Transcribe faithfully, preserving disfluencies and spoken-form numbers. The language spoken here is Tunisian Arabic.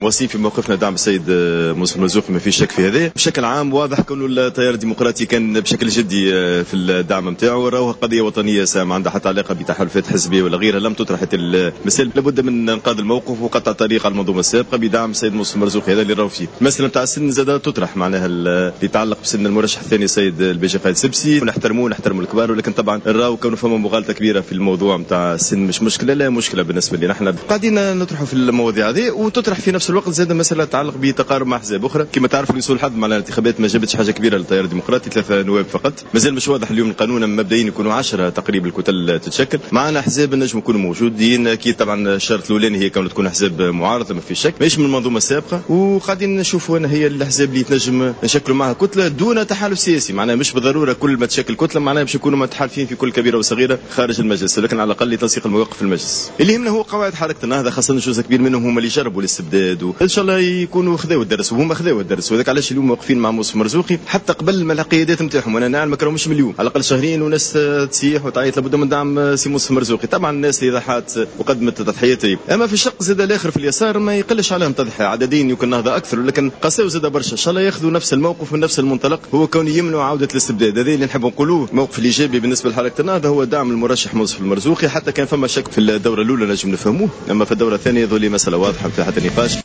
واصلين في موقفنا دعم السيد منصف المرزوقي، ما فيش شك في هذا. بشكل عام واضح كونه التيار الديمقراطي كان بشكل جدي في الدعم نتاعو، راهو قضية وطنية ما عندها حتى علاقة بتحالفات حزبية ولا غيرها، لم تطرح المسألة. لابد من انقاذ الموقف وقطع الطريق على المنظومة السابقة بدعم السيد منصف المرزوقي، هذا اللي راهو فيه. المسألة نتاع السن زاد تطرح، معناها اللي يتعلق بسن المرشح الثاني السيد الباجي قايد سبسي، ونحترموه نحترموا الكبار، ولكن طبعا راهو كونه فما مغالطة كبيرة في الموضوع نتاع السن، مش مشكلة، لا مشكلة بالنسبة لنا، احنا قاعدين نطرحوا في المواضيع هذه. وتطرح في نفس الوقت زاد مسألة تتعلق بتقارب مع احزاب اخرى، كما تعرفوا لسوء الحظ معناها الانتخابات ما جابتش حاجة كبيرة للتيار الديمقراطي، ثلاثة نواب فقط، مازال مش واضح اليوم القانون مبدئيا يكونوا عشرة تقريبا الكتل تتشكل، معنا احزاب نجم يكونوا موجودين اكيد. طبعا الشرط الاولاني هي كون تكون احزاب معارضة ما في شك، ماهيش من المنظومة السابقة، وقاعدين نشوفوا انا هي الاحزاب اللي تنجم نشكلوا معها كتلة دون تحالف سياسي، معناها مش بالضرورة كل ما تشكل كتلة معناها باش يكونوا متحالفين في كل كبيرة وصغيره خارج المجلس، لكن على الاقل لتنسيق المواقف في المجلس. اللي يهمنا هو قواعد حركة النهضة، خاصة جزء كبير منهم هم اللي جربوا الاستبداد، وان شاء الله يكونوا خذاو الدرس، وهما خذاو الدرس، وذاك علاش اليوم واقفين مع منصف مرزوقي حتى قبل ما القيادات نتاعهم. وانا نعلم راهم مش من اليوم، على الاقل شهرين وناس تسيح وتعيط لابد من دعم سي منصف مرزوقي. طبعا الناس اللي ضحات وقدمت تضحيات، اما في الشق زاد الاخر في اليسار ما يقلش عليهم تضحية عددين، يمكن النهضة اكثر، ولكن قاساو زاد برشا. ان شاء الله ياخذوا نفس الموقف من نفس المنطلق، هو كون يمنعوا عوده الاستبداد. هذا اللي نحب نقولوه. الموقف الايجابي بالنسبة لحركة النهضة هو دعم المرشح منصف المرزوقي، حتى كان فما شك في الدورة الاولى نجم نفهموه، اما في الدورة الثانية ذولي مسالة واضحة في حتى نقاش.